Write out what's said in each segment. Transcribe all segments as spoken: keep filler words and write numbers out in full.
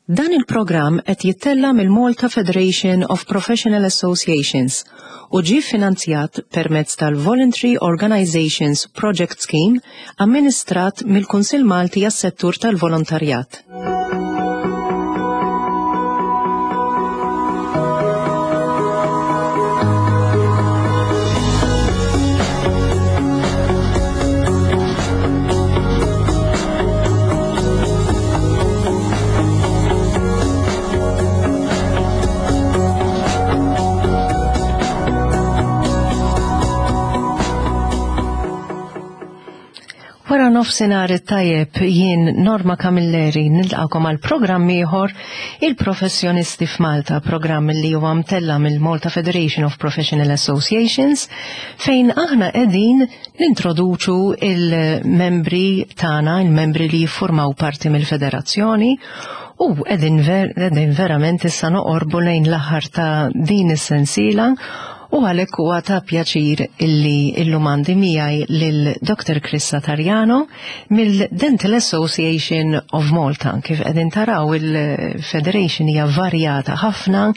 Dan il-programm qed jittella' mill-Malta Federation of Professional Associations u ġie finanzjat permezz tal-Voluntary Organizations Project Scheme amministrat mill-Kunsill Malti għas-Settur tal-Volontarjat. Wara nofsinhar it-tajjeb, jien Norma Camilleri nilqakom għal programm ieħor, Il-Professjonisti f'Malta, programm li huwa mtella mill-Malta Federation of Professional Associations, fejn aħna qegħdin nintroduċu il-membri tagħna, il-membri li jiffurmaw parti mill-federazzjoni, u qegħdin ver, verament issa noqorbu lejn l-aħħar ta' din is-sensiela. U għalhekk huwa ta' pjaċir illi illum għandi miegħi lil Doctor Chris Satariano mill-Dental Association of Malta. Kif qegħdin taraw, il-Federation hija varjata ħafna,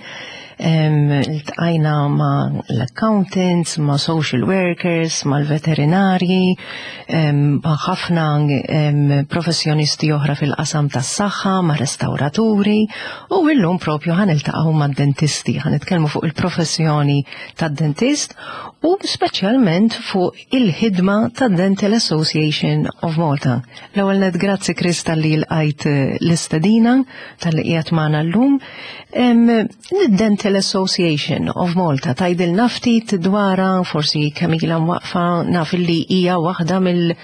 iltqajna ma' l-accountants, ma' social workers, ma' l-veterinarji, ma' ħafna professjonisti oħra fil-qasam tas-saħħa, ma' restauraturi, u illum propju ħa niltaqgħu ma' dentisti, ħa nitkellmu fuq il-professjoni tad-dentist u speċjalment fuq il-ħidma tad-Dental Association of Malta. L-ewwel net, grazzi Chris talli lqajt l-istedina, talli qiegħed magħna llum. Dental Association of Malta, tgħidilna ftit dwarha, forsi kemm ilha mwaqfa, naf li hija waħda mill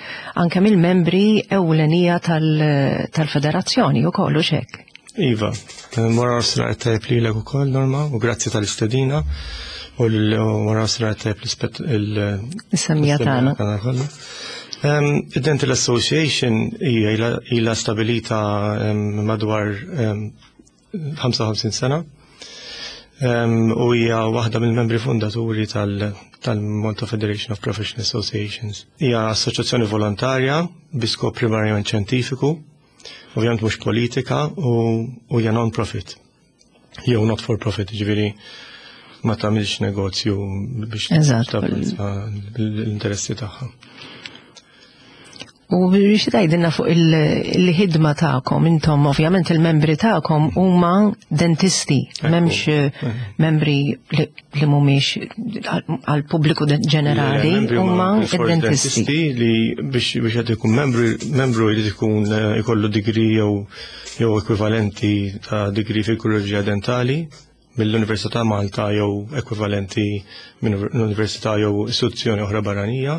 anke mill-membri ewlenija tal-federazzjoni u kollu xek. Iva, wara nofsinhar tajjeb lilek ukoll, Norma, u grazzi tal-istedina u wara nofsinhar tajjeb l-semmiegħa tagħna. Id-Dental Association hija ilha stabilita madwar ħamsa u ħamsin sena u hija waħda mill-membri fundaturi tal-Malta Federation of Professional Associations. Hija assoċjazzjoni volontarja bi skop primarjament xjentifiku, ovvjament mhux politika, u hija non-profit. Jew not for profit, ġifieri ma tagħmilx negozju biex l-interessi tagħha. U biex tgħidilna fuq il-ħidma tagħkom, intom ovvjament il-membri tagħkom huma dentisti, m'hemmx eh, membri li mhumiex għal pubbliku ġenerali, huma dentisti li biex biex qed ikun membru membru jrid ikun eh, ikollu degree jew jew ekwivalenti ta' degree fil-kirurġija dentali mill-Università Malta jew ekwivalenti minn università jew istituzzjoni oħra barranija.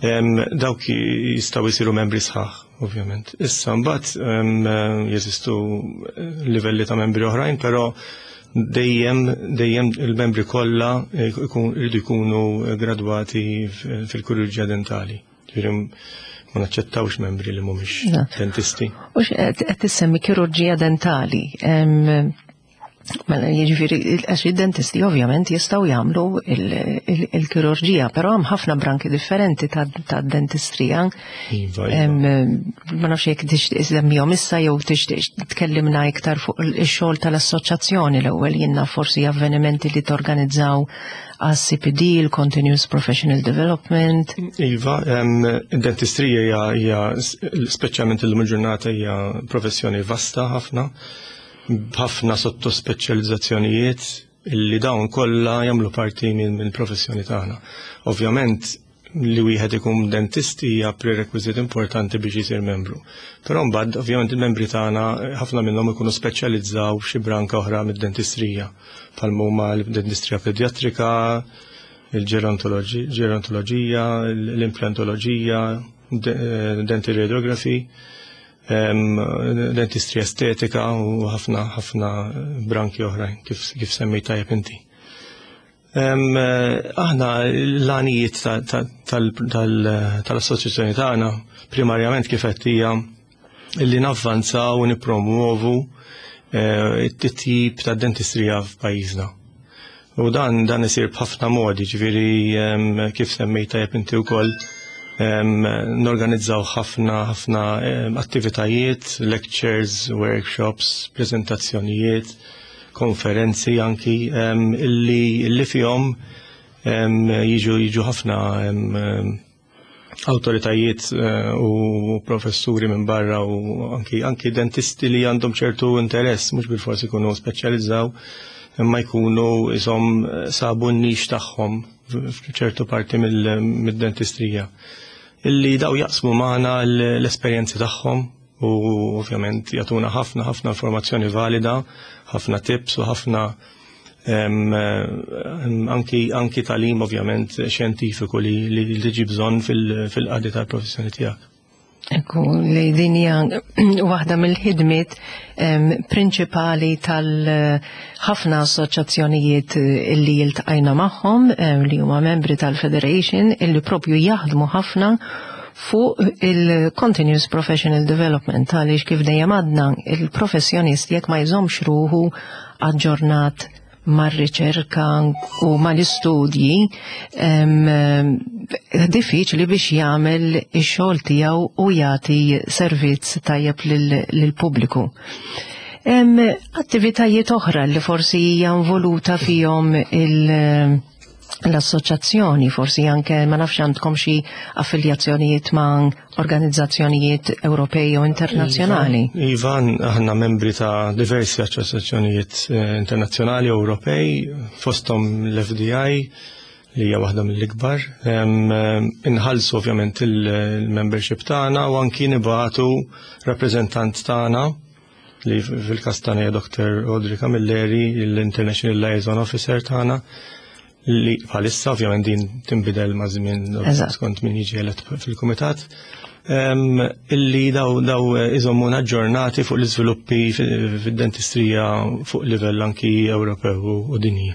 Dawk jistgħu jsiru membri sħaħ, ovvjament. Issa mbagħad jeżistu livelli ta' membri oħrajn, però dejjem dejjem il-membri kollha jridu jkunu gradwati fil-kirurġija dentali. Ġifieri ma naċċettawx membri li mhumiex dentisti. U qed tissemmi kirurġija dentali. Mela, jiġifieri, għax id-dentisti ovvjament jistgħu jagħmlu il-kirurġija, però hemm ħafna branki differenti ta' dentistrija. Iva, iva. Ma nafx jekk tixtieq semmihom issa jew tixtieq tkellimna iktar fuq ix-xogħol tal-assoċjazzjoni l-ewwel, jiena forsi avvenimenti li torganizzaw għas-C P D, il-Continuous Professional Development. Iva, id-dentistrija hija, speċjalment illum il-ġurnata, hija professjoni vasta ħafna, b'ħafna sottospeċjalizzazzjonijiet illi dawn kollha jagħmlu parti mill-professjoni tagħna. Ovvjament li wieħed ikun dentist hija prerequisit importanti biex jisir membru. Però mbagħad ovvjament il-membri tagħna, ħafna minnhom ikunu speċjalizzaw f'xi branka oħra mid-dentistrija, bħal huma l-dentistrija pedjatrika, il-ġerontoloġija, l-implantoloġija, dental radiography, dentistrija estetika u ħafna ħafna branki oħrajn kif, kif semmejt tajjeb inti. Aħna l-għanijiet tal-assoċjazzjoni tagħna primarjament, kif qed, hija li navvanzaw u nippromuovu eh, it-titjib ta' dentistrija f'pajjiżna. U dan dan isir b'ħafna modi, ġifieri kif semmejt tajjeb inti wkoll. Norganizzaw ħafna ħafna attivitajiet, lectures, workshops, prezentazzjonijiet, konferenzi anki illi, illi fihom jiġu jiġu ħafna awtoritajiet eh, u professuri minn barra u anki, anki dentisti li għandhom ċertu interess, mhux bilfors ikunu speċjalizzaw, imma jkunu isom sabu n-niche tagħhom f'ċertu parti mid-dentistrija. Illi daw jaqsmu magħna l-esperjenzi tagħhom u ovvjament jagħtuna ħafna ħafna informazzjoni valida, ħafna tips u ħafna anki, anki tagħlim ovvjament xjentifiku li li tiġi bżonn fil-qadi tal-professjoni tiegħek. Ekku, li din hija waħda mill-ħidmiet prinċipali tal-ħafna assoċjazzjonijiet illi iltqajna magħhom li huma membri tal-Federation illi propju jaħdmu ħafna fuq il-Continuous Professional Development, għaliex kif dejjem għadna, il-professjonist jekk ma jżommx ruħu aġġornat mar-riċerka u mal-istudji, diffiċli biex jagħmel ix-xogħol tiegħu u jagħti servizz tajjeb lill-pubbliku. Attivitajiet oħra li forsi hija involuta fihom il- l-assoċjazzjoni, forsi anke ma nafx għandkom xi affiljazzjonijiet ma' organizzazzjonijiet Ewropej u internazzjonali. Iva, aħna membri ta' diversi assoċjazzjonijiet eh, internazzjonali u Ewropej, fosthom l-F D I li hija waħda mill-ikbar. Inħallsu ovvjament il-membership tagħna u anki nibagħtu rappreżentant tagħna li fil-każ tagħna hija Doctor Audrey Camilleri, l-International Liaison Officer tagħna, li bħalissa ovvjament din tinbidel ma' żmien skont min jiġi elett fil-kumitat. Illi daw daw iżommuna aġġornati fuq l-iżviluppi fid-dentistrija fuq livell anki Ewropew u dinji.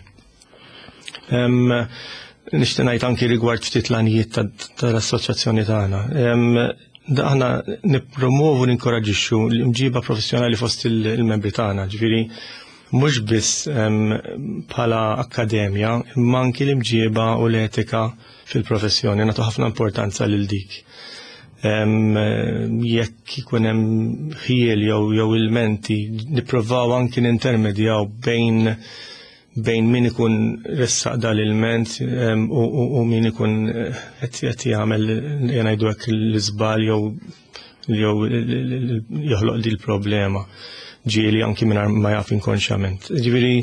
Nixtieq ngħid anki rigward ftit l-għanijiet tal-assoċjazzjoni tagħna. Aħna nippromovu, ninkoraġixxu l-imġiba professjonali fost il-membri tagħna, ġifieri mhux biss bħala akkademja, imma anki l-imġiba u l-etika fil-professjoni, nagħtu ħafna importanza lil dik. Jekk ikun hemm ħjiel jew jew ilmenti, nippruvaw anki nintermedjaw bejn bejn min ikun ressaq dal-ilment u min ikun qed jagħmel, ngħidu hekk, l-iżbal jew jew joħloq di l-problema, ġieli anki minn ma jaf inkonxjament. Ġifieri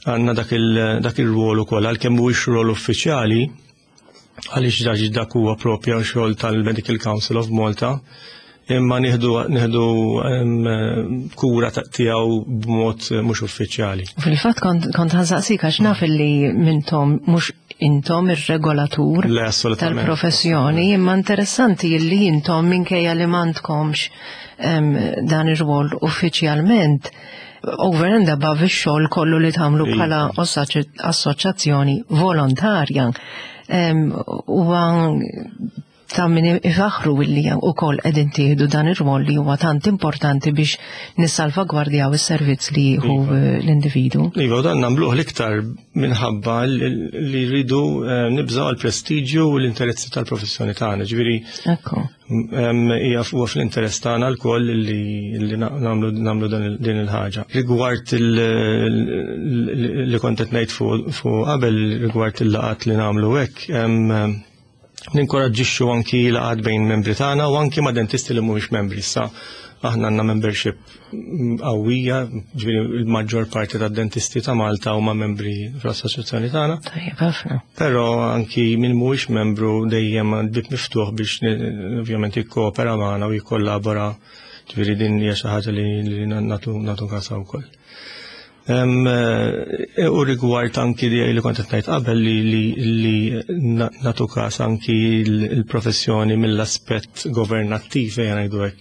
għandna dak il-rwol ukoll, għalkemm mhuwiex rwol uffiċjali, għaliex dak dak huwa propja xogħol tal-Medical Council of Malta, imma nieħdu nieħdu kura tiegħu b'mod mhux uffiċjali. Fil-fatt kont kont ħa nsaqsik għax naf li mintom mhux intom ir-regolatur Le, assolutament. tal-professjoni, imma interessanti li intom, minkejja li m'għandkomx em, dan ir-rwol uffiċjalment, over and above ix-xogħol kollu li tagħmlu Iva. bħala assoċ- assoċjazzjoni volontarja, em, huwa ta' min ifaħru illi ukoll qegħdin tieħdu dan ir-rwol li huwa tant importanti biex nissalvagwardjaw is-servizz li jieħu Iva. eh, l-individu. Iva, u dan nagħmluh l-iktar minħabba li li rridu eh, nibżaw għal-prestiġju u l-interessi tal-professjoni tagħna. Ġifieri Ekku. em, hija huwa fl-interess tagħna lkoll li li nagħmlu nagħmlu dan il- din il-ħaġa. Rigward il- li kont qed ngħid fuq fuq qabel rigward il-laqat li nagħmlu hekk, em, ninkoraġġixxu anki laqat bejn membri tagħna u anki ma' dentisti li mhumiex membri. Issa aħna għandna membership qawwija, ġifieri il-maġġor parti tad-dentisti ta' Malta huma membri fl-assoċjazzjoni tagħna. Tajjeb ħafna. Però anki min mhuwiex membru dejjem bib miftuħ biex ni- ovvjament jikkoopera magħna u jikkollabora, ġifieri din hija xi ħaġa li, li nagħtu nagħtu kasha wkoll. Em, eh, U rigward anki li li kont qed ngħid qabel li li li na- nagħtu kas anki l-professjoni mill-aspett governattiv, ejja ngħidu hekk.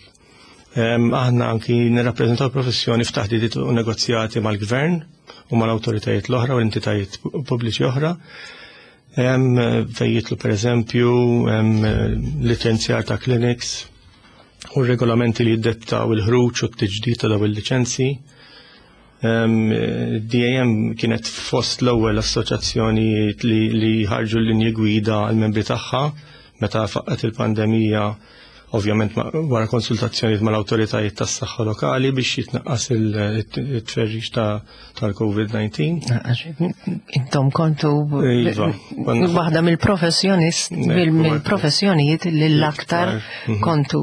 Em, Aħna anki nirrappreżentaw professjoni f'taħdidiet u negozjati mal-gvern u mal-awtoritajiet l-oħra u l-entitajiet pubbliċi oħra. Em, Fejn jidħlu per eżempju em, licenzjar ta' clinics u regolamenti li jiddettaw il-ħruġ u t-tiġdid ta' daw il-liċenzji. Em, D A M kienet fost l-ewwel assoċjazzjoni li, li ħarġu l-linji gwida għal membri tagħha Meta faqqgħet il-pandemija, ovvjament wara konsultazzjonijiet mal-awtoritajiet tas-saħħa lokali biex jitnaqqas il-tferrix tal-Covid disa. Intom kontu Iva, waħda mill-professjonist, mill-professjonijiet li l-aktar mhm. kontu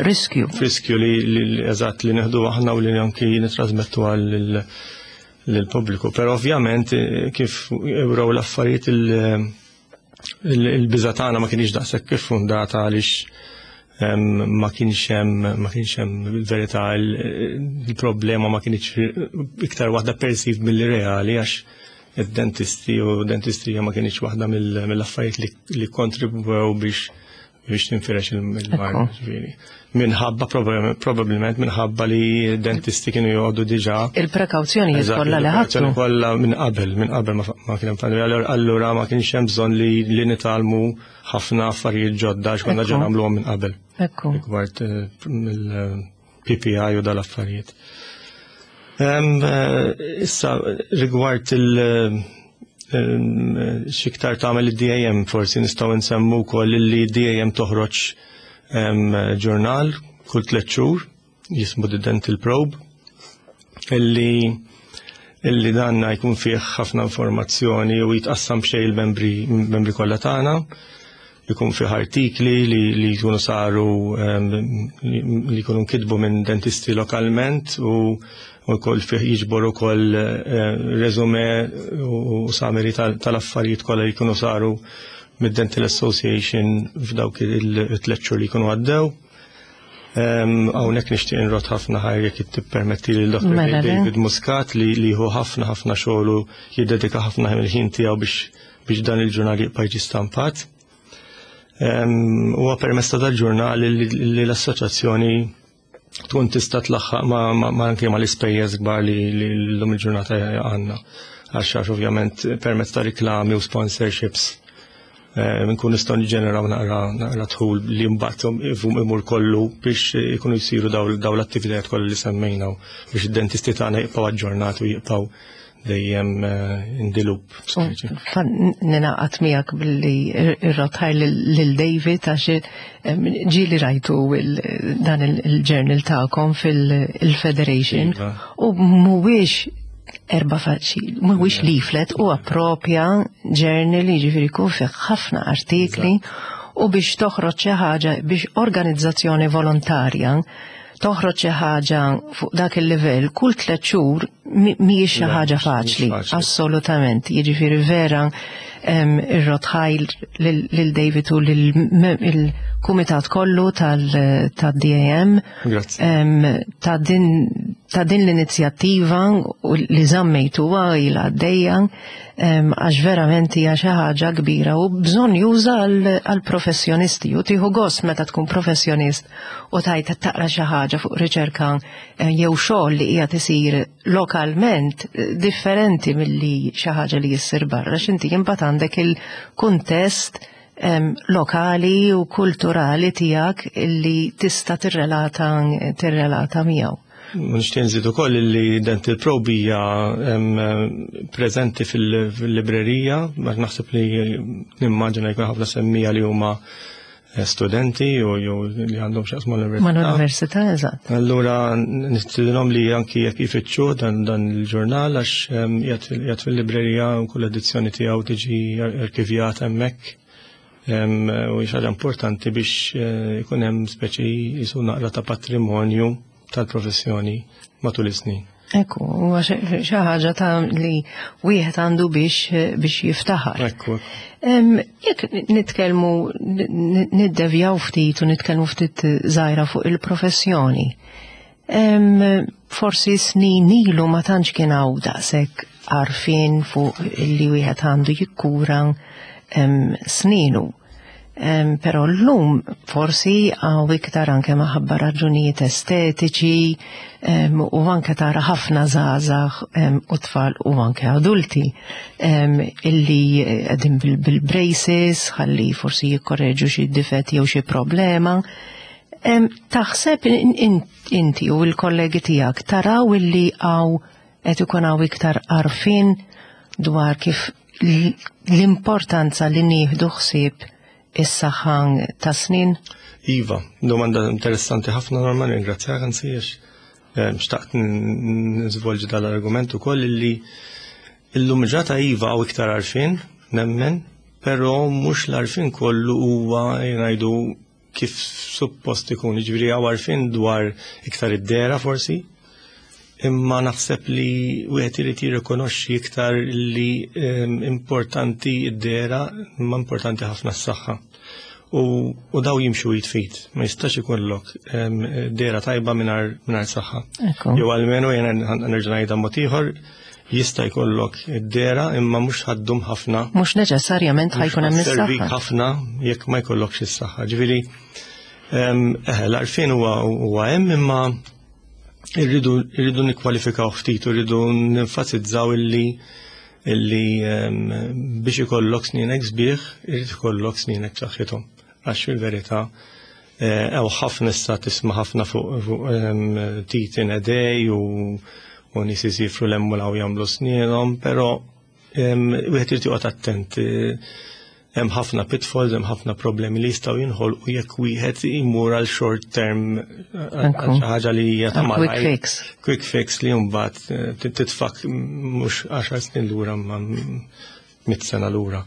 riskju. Riskju li eżatt li neħdu aħna u li anki nitrasmettu għal lill-pubbliku. Però ovvjament kif ewraw l-affarijiet, il-biża tagħna ma kienx daqshekk fondata għaliex ma kienx hemm ma kienx hemm verità, il-problema ma kienx iktar waħda perceived milli reali, għax id-dentisti u dentistrija ma kienx waħda mill-affarijiet li kontribwew biex biex tinfirex il-mard. Minħabba, probabbilment minħabba li dentisti kienu joqogħdu diġà. Il-prekawzjoni kollha li ħadtu. Kollha minn qabel, minn qabel ma kien hemm pandemija. Allura ma kienx hemm bżonn li li nitgħallmu ħafna affarijiet ġodda għax konna ġa nagħmluhom minn qabel. Ekku. Rigward il-P P E u dal-affarijiet. Issa rigward il- x'iktar tagħmel id-D A M, forsi nistgħu nsemmu wkoll li D A M toħroġ ġurnal kull tliet xhur jismu The Dental Probe, illi illi danna jkun fih ħafna informazzjoni u jitqassam b'xejn il-membri membri kollha tagħna. Jkun fih artikli li, li jkunu saru, li jkunu nkitbu minn dentisti lokalment u u kol fih jiġbor ukoll resume u summary tal-affarijiet kollha li jkunu saru mid-Dental Association f'dawk il-tliet xhur li jkunu għaddew. Hawnhekk nixtieq nrodd ħafna ħajr, jekk tippermetti, lil Doktor Mela, le. David Muscat li li hu ħafna ħafna xogħlu, jiddedika ħafna il-ħin tiegħu biex biex dan il-ġurnal jibqa' jiġi stampat. Huwa permezz ta' dal-ġurnal li li l-assoċjazzjoni tkun tista' tlaħħaq ma, ma, ma anke ma l-ispejjeż kbar li li llum il-ġurnata għandna. Għax għax ovvjament permezz ta' riklami u sponsorships eh, nkun nistgħu niġġeneraw naqra naqra dħul li mbagħad imur kollu biex ikunu jsiru daw daw l-attivitajiet kollha li semmejna u biex id-dentisti tagħna jibqgħu aġġornati u jibqgħu dejjem eh, in the loop. Ninaqat miegħek billi rrodd ħajr lil David għax em, ġieli rajtu il- dan il-journal tagħkom fil-Federation Iva. u mhuwiex erba' faċi, mhuwiex leaflet, huwa proprja journal, jiġifieri jkun fih ħafna artikli, u biex toħroġ xi ħaġa, biex organizzazzjoni volontarja toħroġ xi ħaġa fuq dak il-livell kull tliet xhur mi- mhijiex xi Le, ħaġa mhux faċli. faċli. Assolutament. Jiġifieri vera em, irrodd ħajr lil lil David u lil-kumitat kollu tal-D A M Grazzi. em, ta' din ta' din l-inizjattiva u li żammejtuha ilha għaddejja, em, għax verament hija xi ħaġa kbira u bżonn juża għal professjonisti u tieħu gost meta tkun professjonist u tajt taqra xi ħaġa fuq riċerka eh, jew xogħol li qiegħed isir lokalment eh, differenti milli xi ħaġa li jissir barra, x'inti imbagħad għandek il-kuntest em, lokali u kulturali tiegħek illi tista' tirrelata tirrelata miegħu. Nixtieq nżid ukoll li Dental Probe hija em, preżenti fil- fil-librerija, ma naħseb li nimmaġina jkun ħafna semmija li huma eh, studenti u jew li għandhom x'jaqsmu l-università. Mal-università, eżatt. Allura nistidinhom li anki jekk ifittxu dan dan il-ġurnal għax em, qiegħed fil- qiegħed fil-librerija u kull edizzjoni tiegħu tiġi arkivjata hemmhekk. Em, U hija ħaġa importanti biex eh, ikun hemm speċi jisu naqra ta' patrimonju tal-professjoni matul is-snin. Ekku, huwa xi xi ħaġa ta' li wieħed għandu biex biex jiftaħar. Ekku. Em, Jekk nitkellmu, n- niddevjaw ftit u nitkellmu ftit żgħira fuq il-professjoni. Em, Forsi snin ilu ma tantx kien hawn daqshekk għarfien fuq li wieħed għandu jikkura em, sninu. Em, Però llum forsi hawn iktar, anke maħabba raġunijiet estetiċi em, u anke tara ħafna żgħażagħ em, u tfal u anke adulti em, illi qegħdin bil- bil-braces ħalli forsi jikkorreġu xi difetti jew xi problema. Em, Taħseb in- in- inti u l-kollegi tiegħek taraw illi hawn qed ikun hawn iktar għarfien dwar kif l- l-importanza li nieħdu ħsieb is-saħħa ta' snin? Iva, domanda interessanti ħafna, Norma, ringrazzjak, anzi, għax eh, xtaqt nżvolġi dal-argument ukoll illi illum ġata iva hawn iktar għarfien, nemmen, però mhux l-għarfien kollu huwa jgħidu kif suppost ikun, jiġifieri hawn għarfien dwar iktar id-dehra forsi, imma naħseb li wieħed irid jirrikonoxxi iktar li em, importanti id-dehra, imma importanti ħafna s-saħħa. U, u daw jimxu jitfit, ma jistax ikollok em, dehra tajba mingħajr mingħajr saħħa. Ekku. Jew almenu jena nerġa' ngħidha mod ieħor, jista' jkollok id-dehra imma mhux ħa ddum ħafna. Mhux neċessarjament ħa jkun hemm Servik is-saħħa. ħafna jekk ma jkollokx is-saħħa. Ġifieri em, eh, l-għarfien huwa huwa hemm, imma irridu irridu nikkwalifikaw ftit u rridu nenfasizzaw illi illi em, biex ikollok snienek sbieħ, irid ikollok snienek b'saħħithom. Għax fil-verità eh, hawn ħafna, issa tisma' ħafna fuq fuq em, teeth in a day u u nies isifru 'l hemm u 'l hawn jagħmlu snienhom, però em, wieħed irid joqgħod attent. eh, Hemm ħafna pitfalls, hemm ħafna problemi li jistgħu jinħolqu jekk wieħed imur għal short term, għal Ekku. xi ħaġa li hija ta' Għal quick malajr. fix. Quick fix li mbagħad eh, titfak mhux għaxar snin lura ma mitt sena lura.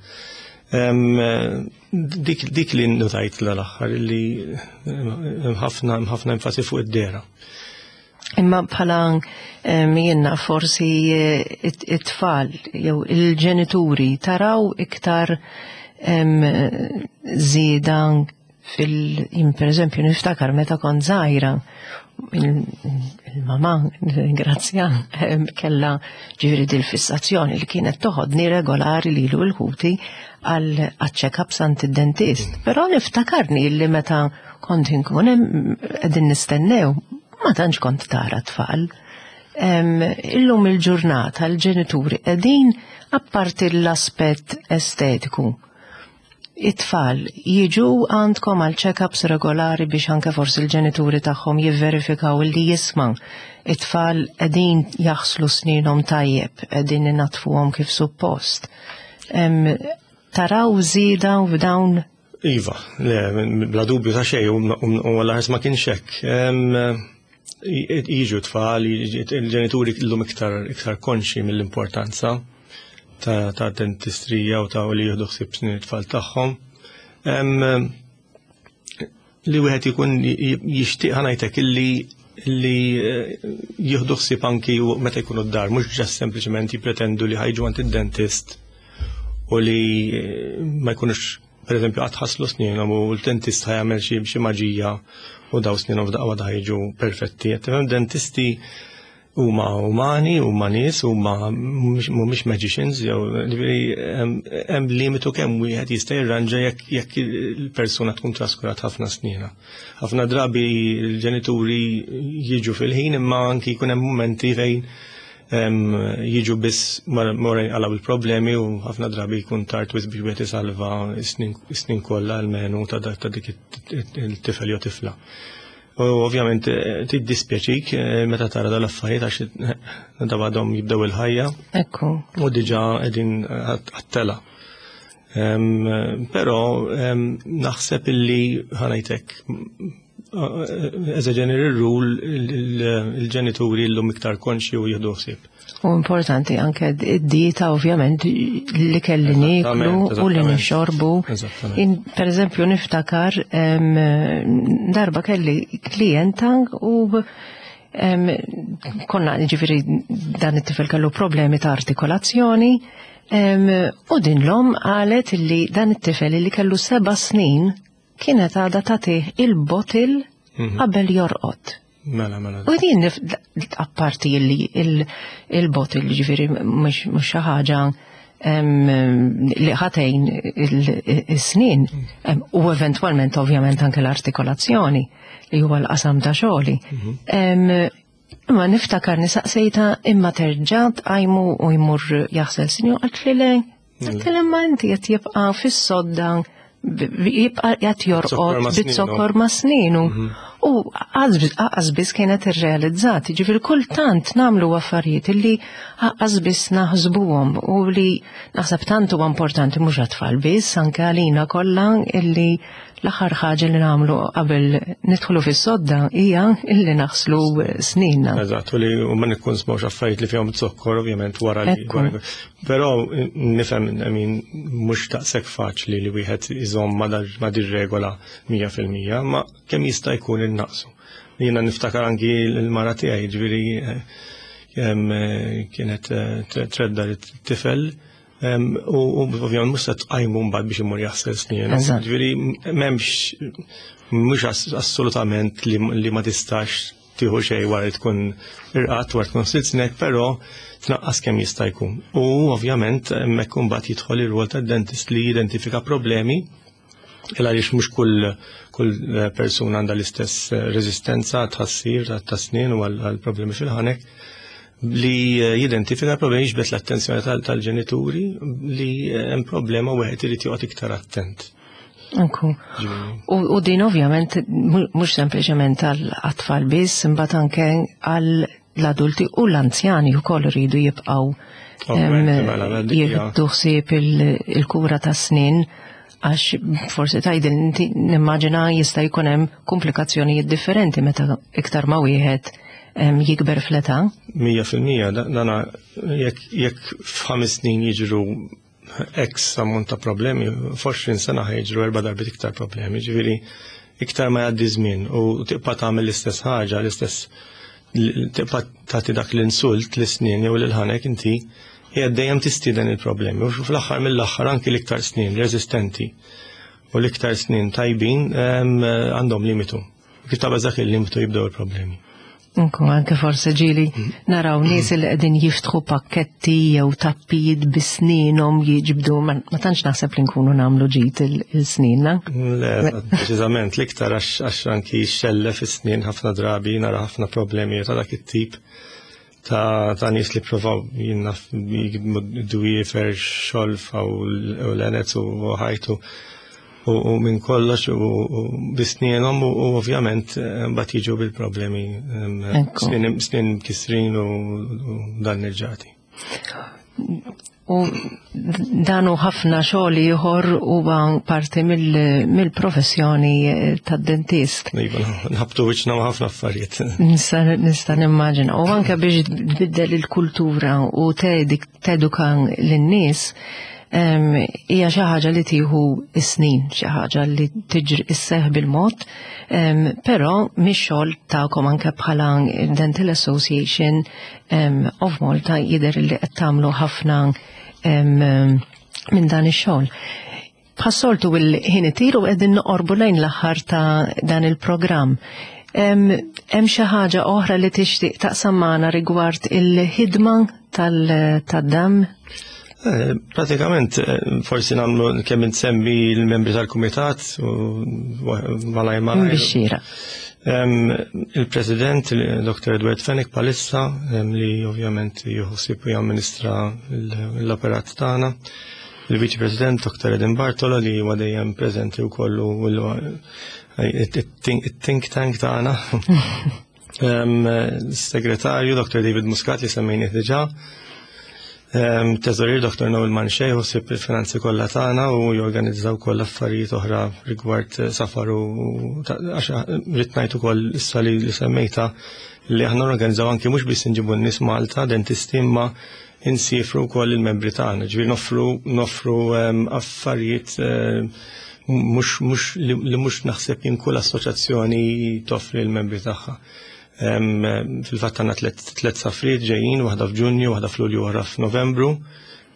Em, eh, Dik, dik li notajt l-aħħar li eh, hemm ħafna hemm ħafna enfasi fuq id-dehra. Imma bħala em, jenna forsi eh, it- it-tfal jew il-ġenituri taraw iktar em, żieda fil jien, per eżempju, niftakar meta kont żgħira, il-mama, grazzja, em, kella ġifieri dil-fissazzjoni li kienet toħodni regolari lilu u 'l ħuti għal check-ups għand id-dentist. Però niftakarni li meta kont inkun hemm qegħdin nistennew, ma tantx kont tara tfal. Em, Illum il-ġurnata l-ġenituri qegħdin, apparti l-aspett estetiku, it-tfal jiġu għandkom għal check-ups regolari biex anke forsi l-ġenituri tagħhom jivverifikaw li jisma' it-tfal qegħdin jaħslu sninhom tajjeb, qegħdin inaddfuhom kif suppost? Em, Taraw żieda f'dawn? Iva, le, bla dubju ta' xejn, u għall ma kienx hekk. Em, Jiġu tfal, il-ġenituri illum iktar iktar konxi mill-importanza ta' ta' dentistrija u ta' u li jieħdu ħsieb snin it-tfal tagħhom. Em, Li wieħed ikun jixtieq, ħa ngħidlek, illi li eh, jieħdu ħsieb anki meta jkunu d-dar, mhux just sempliċement jippretendu li ħa jiġu għand id-dentist u li eh, ma jkunux per eżempju qatt ħaslu snienhom u l-dentist ħa jagħmel xi xi maġija u daw snienhom f'daqqa waħda jiġu perfetti. Qed tifhem, dentisti huma umani, huma nies, huma mhumiex magicians, jew ġifieri hemm hemm limitu kemm wieħed jista' jirranġa jekk jekk il-persuna tkun traskurat ħafna snina. Ħafna drabi l-ġenituri jiġu fil-ħin, imma anki jkun hemm momenti fejn em, jiġu biss mora għalaw il-problemi u ħafna drabi jkun tard wisq biex wieħed isalva s-snin s-snin kollha almenu ta' dak- ta' dik it-tifel jew tifla. U ovvjament eh, tiddispjaċik eh, meta tara dal-affarijiet, għax eh, da għadhom jibdew il-ħajja Ekku. u diġà qegħdin għat-tela. Em, Però em, naħseb illi, ħa ngħidlek, as a general rule, il-ġenituri llum iktar konxi u jieħdu ħsieb. U importanti anke id-dieta ovvjament, li kelli nieklu u li Eżattament. nixorbu. Eżattament. In, per eżempju, niftakar em, darba kelli klienta u em, konna ġifieri dan it-tifel kellu problemi ta' artikolazzjoni em, u din l-omm qalet li dan it-tifel li kellu seba' snin kienet għadha tagħtih il-bottle Mhm. qabel jorqod. Mela, mela. U din nif- apparti li il- il-bottle ġifieri mhux mhux xi ħaġa em, li ħa tgħin il-snin em, u eventwalment ovvjament anke l-artikolazzjoni li huwa l-qasam ta' xogħli. Em, Imma niftakar nistaqsejtha, imma terġa' tqajmu u jmur jaħsel sninu? Għalt li le. Għalt li imma inti qed jibqa' fis-sodda, b- jibqa' qed Zokkor jorqod ma' sninu. bit-zokkor ma' sninu. U lanqas biss kienet irrealizzat, ġifieri kultant nagħmlu affarijiet illi lanqas biss naħsbuhom u li naħseb tant huwa importanti mhux għat-tfal biss, anke għalina kollha, illi l-aħħar ħaġa li nagħmlu qabel nidħlu fis-sodda hija illi naħslu sninna. Eżatt, u li u ma nikkonsmawx affarijiet li fihom zokkor, ovvjament, wara li. Però nifhem, I mean, mhux daqshekk faċli li wieħed iżomm ma' dir-regola mija fil-mija, ma kemm jista' jkun innaqsu. Jiena niftakar anki l-mara tiegħi, ġifieri eh, kienet eh, tredda t-tifel u ovvjament mhux se tqajmu mbagħad biex imur jaħsel snin. Ġifieri m'hemmx, mhux assolutament li ma tistax tieħu xejn wara li tkun irqadt, wara tkun ħsilt snek, però tnaqqas kemm jista' jkun. U ovvjament hemmhekk imbagħad jidħol ir-rwol tad-dentist li jidentifika problemi, il għaliex mhux kull kull persuna għandha l-istess reżistenza tħassir ta' snin u għal problemi fil-ħanek, li jidentifika problemi, jiġbed l-attenzjoni tal-ġenituri li hemm problema u wieħed irid joqgħod iktar attent. Anku. U din ovvjament mhux sempliċement għall-atfal biss, imbagħad anke għall-adulti u l-anzjani wkoll iridu jibqgħu mela, jieħdu ħsieb il-kura ta' snin, għax forsi tgħidil inti, nimmaġina jista' jkun hemm komplikazzjonijiet differenti meta iktar ma wieħed jikber fl-età. Mija fil-mija, dana jekk f'ħames snin jiġru X ammont ta' problemi, f'għoxrin sena jiġru erba' darbiet iktar problemi, ġifieri iktar ma jgħaddi żmien u tibqa' tagħmel l-istess ħaġa, l-istess, tibqa' tagħti dak l-insult l-snin jew l-ħanek inti, hija dejjem tistieden il-problemi. U fl-aħħar mill-aħħar anki l-iktar snin resistenti u l-iktar snin tajbin għandhom limitu. Kif taqbeż dak il-limitu jibdew il-problemi. Unku, anke forse ġieli naraw nies li qegħdin jiftħu pakketti jew tappijiet bi snienhom jiġbdu, ma tantx naħseb li nkunu nagħmlu ġid il-sninna. Le, preċiżament, l-iktar għax anki xellef is-snien, ħafna drabi nara ħafna problemi ta' dak it-tip ta' ta' nies li provaw jinnaf dwiefer, xolfa u l-enez u ħajtu u minn kollox u bi snienhom u ovvjament mbagħad jiġu bil-problemi, snien kisrin u danneġġati. U dan hu ħafna xogħol ieħor huwa parti mill-professjoni tad-dentist. Iva, nħabtu wiċċna ma' ħafna affarijiet. Nista' nimmaġina. U anke biex tbiddel il-kultura u teduka lin-nies hija xi ħaġa li tieħu snin, xi ħaġa li tiġri isseħ bil-mod, però mix-xogħol tagħkom anke bħala Dental Association of Malta jidher li qed tagħmlu ħafna minn dan ix-xogħol. Bħas-soltu il-ħin itir u qegħdin noqorbu lejn l-aħħar ta' dan il-programm. Hemm xi ħaġa oħra li tixtieq taqsam magħna rigward il-ħidma tad-D A M? Eh, pratikament, eh, forsi nagħmlu kemm insemmi l-membri tal-kumitat u malaj malaj. Bixxira. Il-President, Doktor Edward Fenech palissa, li ovvjament juħsib u jamministra l-operat tagħna. Il-Viċi President Doktor Eden Bartolo, li huwa dejjem preżenti wkoll u it-think tank tagħna. Segretarju Doktor David Muscat, li semmejni diġà. Teżorier Doktor Noel Manxej ħsieb il-finanzi kollha tagħna u jorganizzaw koll affarijiet oħra rigward safar, u għax rrid ngħid ukoll issa li semmejta li aħna organizzaw anki mhux biss inġibu n-nies Malta, dentisti, imma insifru wkoll il-membri tagħna, ġifieri noffru noffru affarijiet mhux mhux li mhux naħseb jien kull assoċjazzjoni toffri l-membri tagħha. Fil-fatt għandna tliet safriet ġejjin, waħda f'Ġunju, waħda f'Lulju, waħda f'Novembru,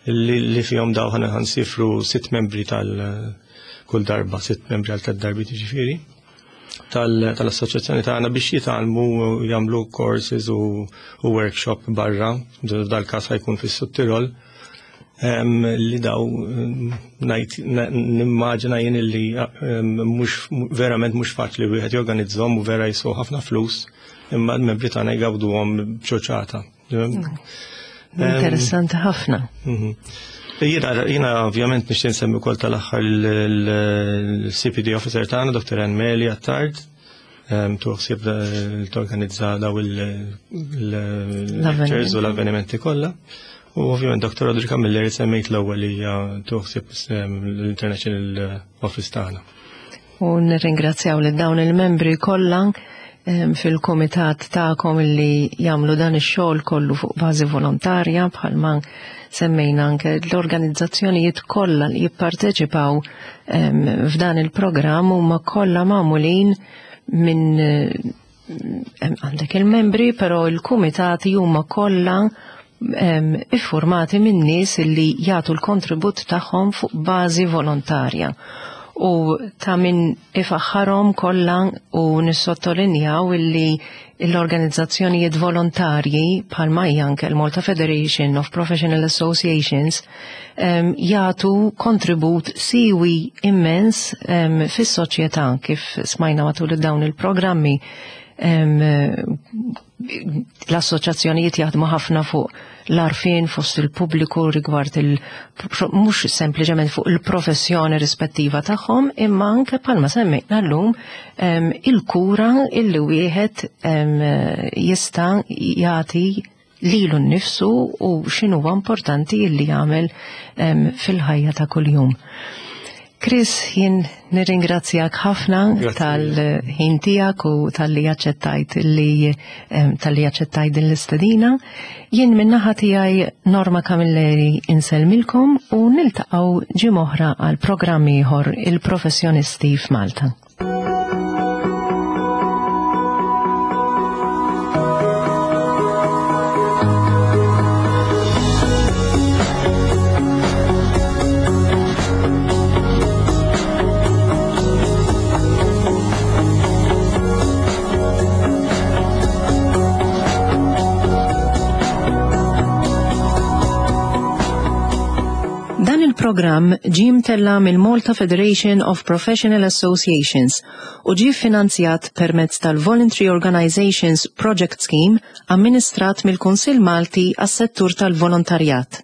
li fihom daw ħana ħansifru sitt membri tal kull darba, sitt membri għal tliet darbiet ġifieri tal-assoċjazzjoni tagħna biex jitgħallmu u jagħmlu courses u workshop barra, dal-każ ħajkun fis-Sud Tirol, li daw ngħid nimmaġina jien li mhux verament mhux faċli wieħed jorganizzahom u vera jiswew ħafna flus, imma l-membri tagħna jgawduhom b'ċoċata. Interessanti ħafna. Mhm. Jiena jiena ovvjament nixtieq nsemmi wkoll tal-aħħar il-C P D officer tagħna, Doktor Ann Meli Attard, tieħu ħsieb torganizza daw il-lectures u l-avvenimenti kollha. U ovvjament Dottor Audrey Camilleri semmejt l-ewwel li hija tieħu ħsieb l-International Office tagħna. U nirringrazzjaw lil dawn il-membri kollha fil-komitat tagħkom li jagħmlu dan ix-xogħol kollu fuq bażi volontarja, bħalma semmejna anke l-organizzazzjonijiet kollha li jipparteċipaw f'dan il-programm huma kollha magħmulin minn għandek il-membri, però il-kumitati huma kollha iffurmati minn nies li jagħtu l-kontribut tagħhom fuq bażi volontarja. U ta' min ifaħħarhom kollha u nissottolinjaw illi l-organizzazzjonijiet volontarji bħalma hija anke l-Malta Federation of Professional Associations um, jagħtu kontribut siwi immens um, fis-soċjetà, kif smajna matul dawn il-programmi. um, l-assoċjazzjonijiet jaħdmu ħafna fuq l-għarfien fost il-pubbliku rigward il mhux sempliċement fuq il-professjoni rispettiva tagħhom, imma anke bħalma semmejna llum il-kura illi wieħed jista' jagħti lilu nnifsu u x'inhuwa importanti illi jagħmel fil-ħajja ta' kuljum. Chris, jien nirringrazzjak ħafna tal-ħin tiegħek u talli aċċettajt li talli aċċettajt din l-istedina. Jien min-naħa tiegħi, Norma Camilleri, insellmilkom u niltaqgħu ġimgħa oħra għal programm ieħor, Il-Professjonisti f'Malta. Dan il-programm ġie mtella' mill-Malta Federation of Professional Associations u ġie finanzjat permezz tal-Voluntary Organizations Project Scheme amministrat mill-Kunsill Malti għas-settur tal-volontarjat.